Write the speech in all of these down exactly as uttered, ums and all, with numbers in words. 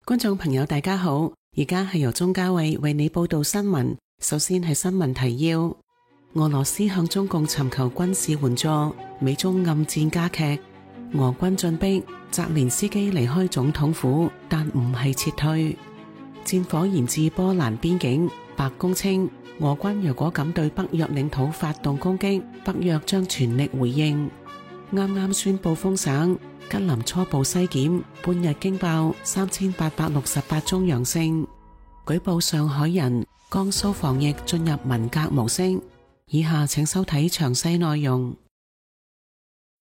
觀眾朋友大家好，而家係由鍾嘉慧為你報道新聞。首先係新聞提要：俄羅斯向中共尋求軍事援助，美中暗戰加劇，俄軍進逼，澤連斯基離開總統府，但唔係撤退。戰火延至波蘭邊境，白宮稱俄軍若果敢對北約領土發動攻擊，北約將全力回應。啱啱宣布封省，吉林初步篩檢，半日驚爆三千八百六十八宗陽性，舉報上海人，江蘇防疫進入文革模式。以下請收睇詳細內容。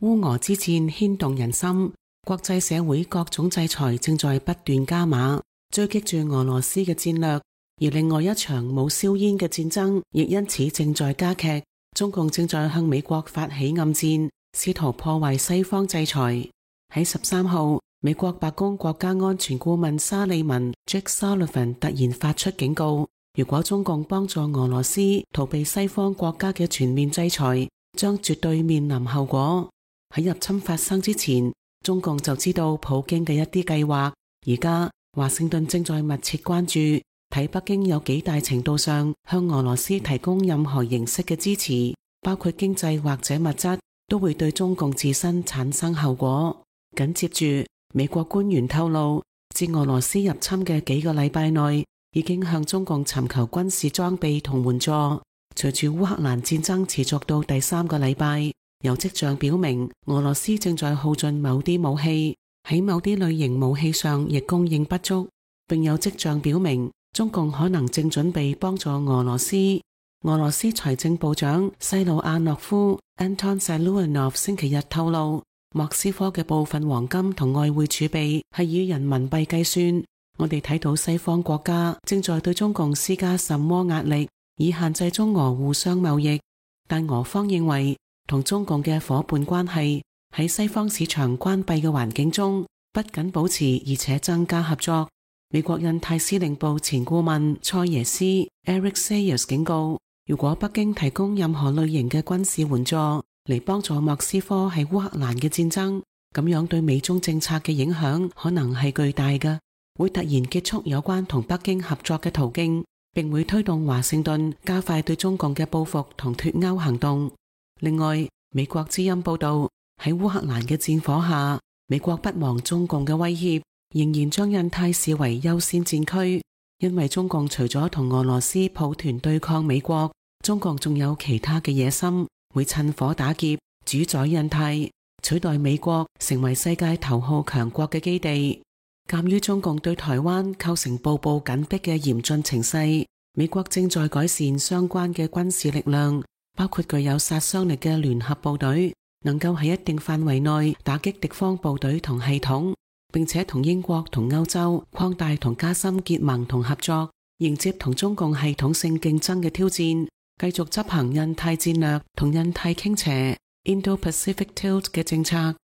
烏俄之戰牽動人心，國際社會各種制裁正在不斷加碼，追擊住俄羅斯嘅戰略，而另外一場冇硝煙嘅戰爭亦因此正在加劇。中共正在向美國發起暗戰，試圖破壞西方制裁。喺十三號，美國白宮國家安全顧問沙利文 Jake Sullivan 突然發出警告，如果中共幫助俄羅斯逃避西方國家嘅全面制裁，將絕對面臨後果。喺入侵發生之前，中共就知道普京嘅一啲計劃，而家華盛頓正在密切關注，睇北京有幾大程度上向俄羅斯提供任何形式嘅支持，包括經濟或者物質，都會對中共自身產生後果。緊接住，美國官員透露，自俄羅斯入侵嘅幾個禮拜內，已經向中共尋求軍事裝備同援助。隨住烏克蘭戰爭持續到第三個禮拜，有跡象表明俄羅斯正在耗盡某啲武器，喺某啲類型武器上亦供應不足，並有跡象表明中共可能正準備幫助俄羅斯。俄羅斯財政部長西魯亞諾夫 Anton Siluanov 星期日透露，莫斯科嘅部分黃金同外匯儲備係以人民幣計算。我哋睇到西方國家正在對中共施加什麼壓力，以限制中俄互相貿易，但俄方認為同中共嘅夥伴關係喺西方市場關閉嘅環境中，不僅保持而且增加合作。美國印太司令部前顧問蔡耶斯 Eric Sayers 警告，如果北京提供任何類型嘅軍事援助嚟幫助莫斯科喺烏克蘭嘅戰爭，咁樣對美中政策嘅影響可能係巨大嘅，會突然結束有關同北京合作嘅途徑，並會推動華盛頓加快對中共嘅報復同脫歐行動。另外，美國之音報道，喺烏克蘭嘅戰火下，美國不忘中共嘅威脅，仍然將印太視為優先戰區，因為中共除咗同俄羅斯抱團對抗美國，中共仲有其他嘅野心，會趁火打劫，主宰印太，取代美國成為世界頭號強國嘅基地。鑒於中共對台灣構成步步緊逼嘅嚴峻情勢，美國正在改善相關嘅軍事力量，包括具有殺傷力嘅聯合部隊，能夠喺一定範圍內打擊敵方部隊同系統，並且同英國同歐洲擴大同加深結盟同合作，迎接同中共系統性競爭嘅挑戰，繼續執行印太戰略同印太傾斜 Indo-Pacific Tilt 嘅政策。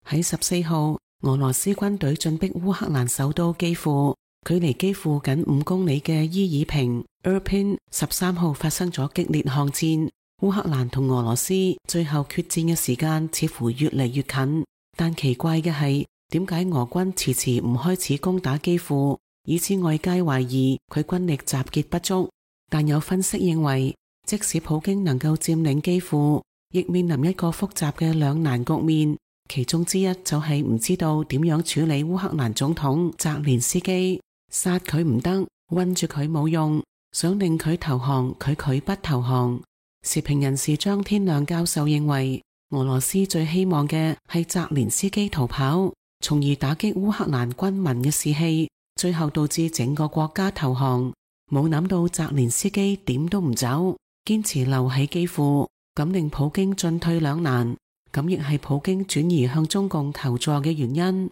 喺十四號，俄羅斯軍隊進逼烏克蘭首都基輔，距離基輔僅五公里嘅伊爾平 Irpin 十三號發生咗激烈巷戰。烏克蘭同俄羅斯最後決戰嘅時間似乎越嚟越近，但奇怪嘅係，點解俄軍遲遲唔開始攻打基輔，以致外界懷疑佢軍力集結不足。但有分析認為，即使普京能夠佔領基輔，亦面臨一個複雜嘅兩難局面。其中之一就係唔知道點樣處理烏克蘭總統澤連斯基，殺佢唔得，困住佢冇用，想令佢投降，佢拒不投降。時評人士張天亮教授認為，俄羅斯最希望嘅係澤連斯基逃跑，從而打擊烏克蘭軍民嘅士氣，最後導致整個國家投降。冇諗到澤連斯基點都唔走，堅持留喺基輔，咁令普京進退兩難。咁亦係普京轉移向中共求助嘅原因。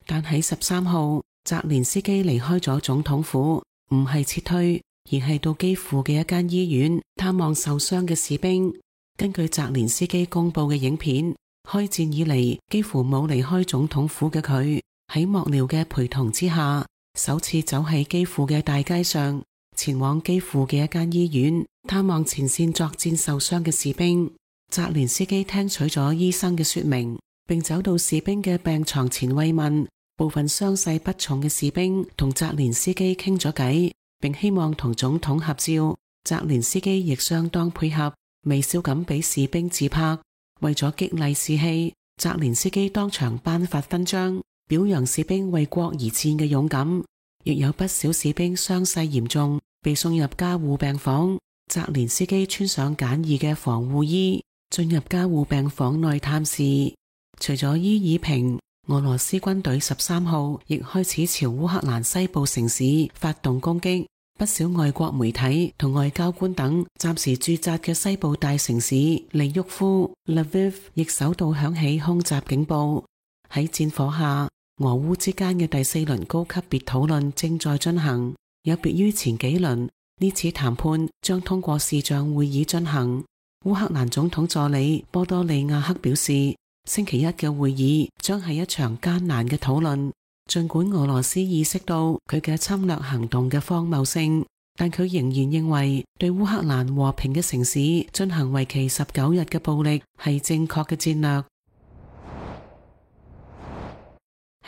但喺十三號，澤連斯基離開咗總統府，唔係撤退，而係到基輔嘅一間醫院探望受傷嘅士兵。根據澤連斯基公布嘅影片，開戰以嚟幾乎冇離開總統府嘅佢，喺幕僚嘅陪同之下，首次走喺基輔嘅大街上，前往基輔嘅一間醫院探望前線作戰受傷嘅士兵。澤連斯基聽取咗醫生嘅說明，並走到士兵嘅病床前慰問。部分傷勢不重嘅士兵同澤連斯基傾咗偈，並希望同總統合照。澤連斯基亦相當配合，微笑咁俾士兵自拍。為咗激勵士氣，澤連斯基當場頒發勳章，表揚士兵為國而戰嘅勇敢。亦有不少士兵傷勢嚴重，被送入加護病房。澤連斯基穿上簡易嘅防護衣，進入加護病房內探視。除咗伊爾平，俄羅斯軍隊十三號亦開始朝烏克蘭西部城市發動攻擊。不少外國媒體同外交官等暫時駐紮嘅西部大城市利沃夫 Lviv 亦首度響起空襲警報。喺戰火下，俄烏之間嘅第四輪高級別討論正在進行。有別於前幾輪，呢次談判將通過視像會議進行。烏克蘭總統助理波多利亞克表示，星期一嘅會議將係一場艱難嘅討論。盡管俄羅斯意識到佢嘅侵略行動嘅荒謬性，但佢仍然認為對烏克蘭和平嘅城市進行為期十九日嘅暴力係正確嘅戰略。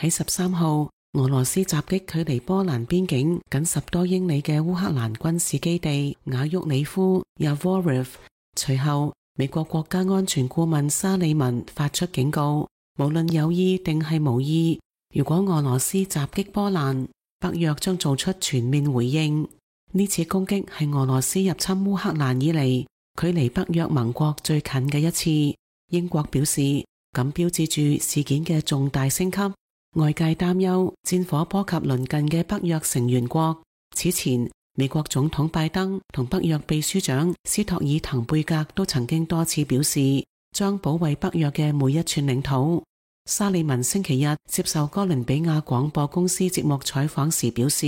喺十三號，俄羅斯襲擊距離波蘭邊境僅十多英里嘅烏克蘭軍事基地瓦沃里夫 Yavoriv。隨後，美國國家安全顧問沙利文發出警告，無論有意定係無意，如果俄羅斯襲擊波蘭，北約將做出全面回應。呢次攻擊係俄羅斯入侵烏克蘭以嚟距離北約盟國最近嘅一次。英國表示，咁標誌住事件嘅重大升級。外界擔憂戰火波及鄰近嘅北約成員國。此前，美國總統拜登同北約秘書長斯托爾滕貝格都曾經多次表示，將保衛北約嘅每一寸領土。沙利文星期日接受哥倫比亞廣播公司節目採訪時表示，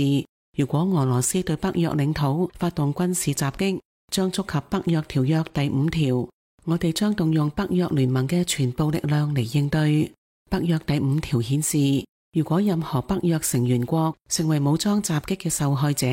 如果俄羅斯對北約領土發動軍事襲擊，將觸及北約條約第五條，我哋將動用北約聯盟嘅全部力量嚟應對。北約第五條顯示，如果任何北約成員國成為武裝襲擊嘅受害者，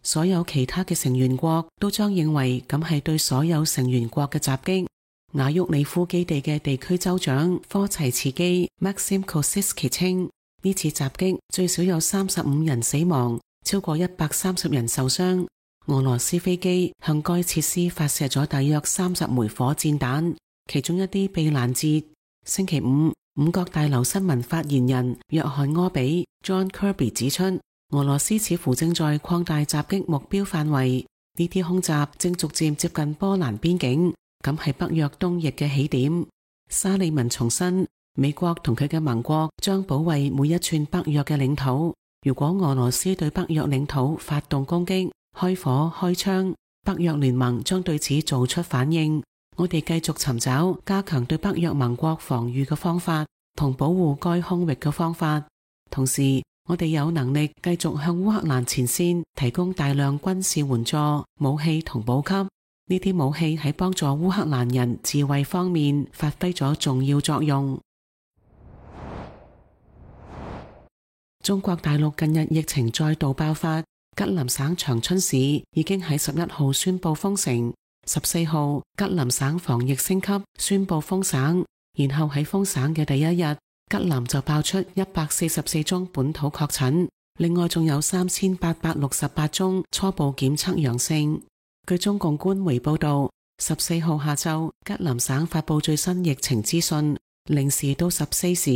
所有其他嘅成員國都將認為咁係對所有成員國嘅襲擊。瓦沃里夫基地嘅地區州長科齊茨基 Maxim Kosiski 稱，呢次襲擊最少有三十五人死亡，超過一百三十人受傷。俄羅斯飛機向該設施發射咗大約三十枚火箭彈，其中一啲被攔截。星期五，五角大樓新聞發言人約翰柯比 John Kirby 指出，俄羅斯似乎正在擴大襲擊目標範圍，呢啲空襲正逐漸接近波蘭邊境，咁係北約東翼嘅起點。沙利文重申，美國同佢嘅盟國將保衛每一寸北約嘅領土。如果俄羅斯對北約領土發動攻擊、開火、開槍，北約聯盟將對此做出反應。我哋繼續尋找加強對北約盟國防禦嘅方法，同保護該空域嘅方法。同時，我哋有能力繼續向烏克蘭前線提供大量軍事援助、武器同補給。呢啲武器喺幫助烏克蘭人自衛方面發揮咗重要作用。中國大陸近日疫情再度爆發，吉林省長春市已經喺十一號宣布封城。十四號，吉林省防疫升級，宣布封省。然後喺封省嘅第一日，吉林就爆出一百四十四宗本土確診，另外仲有三千八百六十八宗初步檢測陽性。據中共官媒報道，十四號下晝，吉林省發布最新疫情資訊，零時到十四時，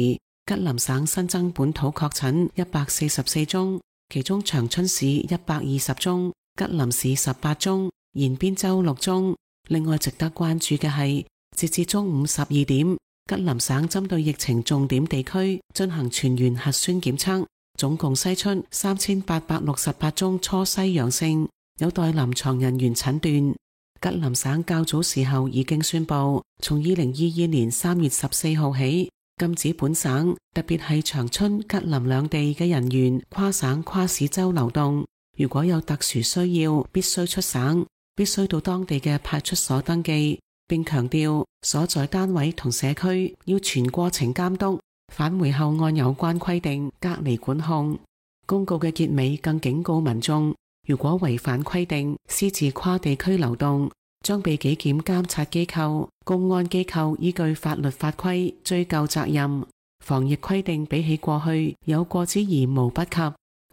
吉林省新增本土確診一百四十四宗，其中長春市一百二十宗，吉林市十八宗，延邊州六宗。另外值得關注嘅係，截至中午十二點，吉林省針對疫情重點地區進行全員核酸檢測，總共篩出三千八百六十八宗初篩陽性，有待臨床人員診斷。吉林省較早時候已經宣布，從二零二二年三月十四號起，禁止本省，特別係長春、吉林兩地嘅人員跨省跨市州流動。如果有特殊需要，必須出省，必須到當地嘅派出所登記，並強調所在單位同社區要全過程監督，返回後按有關規定隔離管控。公告嘅結尾更警告民眾，如果違反規定，私自跨地區流動，將被紀檢監察機構、公安機構依據法律法規追究責任。防疫規定比起過去有過之而無不及，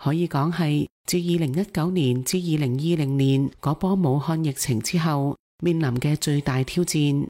可以講係自二零一九年至二零二零年嗰波武漢疫情之後面臨嘅最大挑戰。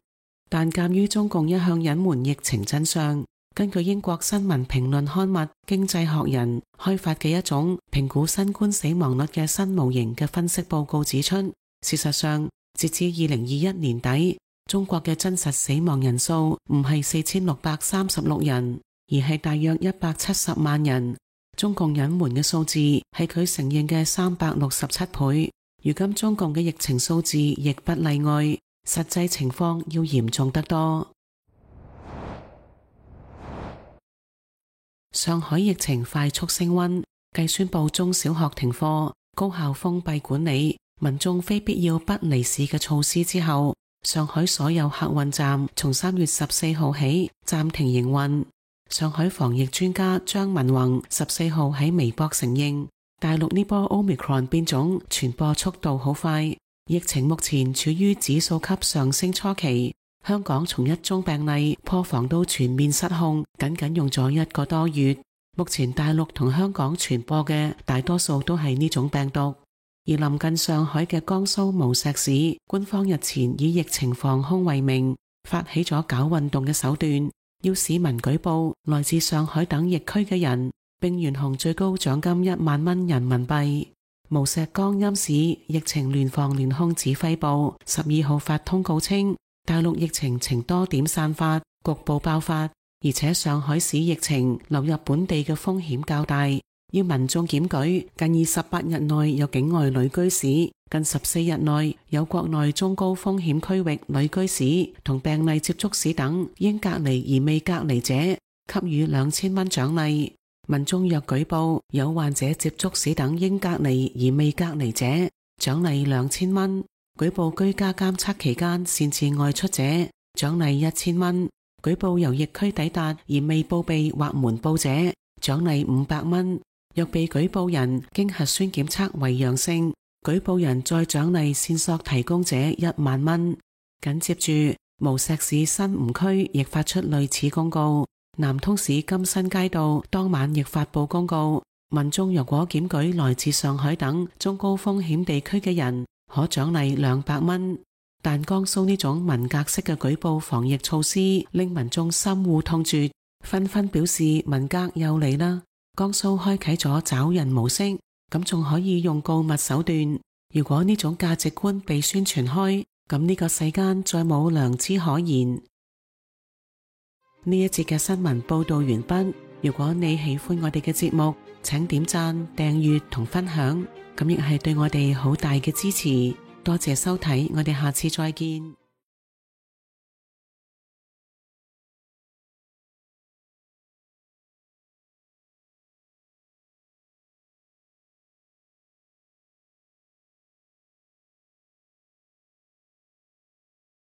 但鑒於中共一向隱瞞疫情真相，根據英國新聞評論刊物《經濟學人》開發嘅一種評估新冠死亡率嘅新模型嘅分析報告指出，事實上截至二零二一年底，中國嘅真實死亡人數唔係四千六百三十六人，而係大約一百七十萬人。中共隱瞞嘅數字係佢承認嘅三百六十七倍。如今中共嘅疫情數字亦不例外，實際情況要嚴重得多。上海疫情快速升溫，繼宣布中小學停課、高校封閉管理、民眾非必要不離市嘅措施之後，上海所有客運站從三月十四號起暫停營運。上海防疫專家張文宏十四號喺微博承認，大陸呢波 Omicron 變種傳播速度好快，疫情目前處於指數級上升初期。香港從一宗病例破防到全面失控，僅僅用咗一個多月。目前大陸同香港傳播嘅大多數都係呢種病毒。而臨近上海嘅江蘇無錫市，官方日前以疫情防控為名，發起咗搞運動嘅手段，要市民舉報來自上海等疫區嘅人，並懸紅最高獎金一萬蚊人民幣。無錫江陰市疫情聯防聯控指揮部十二號發通告稱，大陸疫情呈多點散發，局部爆發，而且上海市疫情流入本地嘅風險較大，要民眾檢舉近二十八日內有境外旅居史、近十四日內有國內中高風險區域旅居史同病例接觸史等應隔離而未隔離者，給予兩千蚊獎勵。民眾若舉報有患者接觸史等應隔離而未隔離者，獎勵兩千蚊。舉報居家監測期間擅自外出者，獎勵一千蚊；舉報由疫區抵達而未報備或瞞報者，獎勵五百蚊。若被舉報人經核酸檢測為陽性，舉報人再獎勵線索提供者一萬蚊。緊接住，無錫市新吳區亦發出類似公告，南通市金新街道當晚亦發布公告，民眾若果檢舉來自上海等中高風險地區嘅人，可獎勵兩百蚊。但江蘇呢種文革式嘅舉報防疫措施令民眾深惡痛絕，紛紛表示文革又嚟啦。江蘇開啟咗找人模式，咁仲可以用告密手段。如果呢種價值觀被宣傳開，咁呢個世間再冇良知可言。呢一節嘅新聞報道完畢。如果你喜歡我哋嘅節目，請點讚、訂閱同分享，咁亦係對我哋好大嘅支持。多謝收睇，我哋下次再見。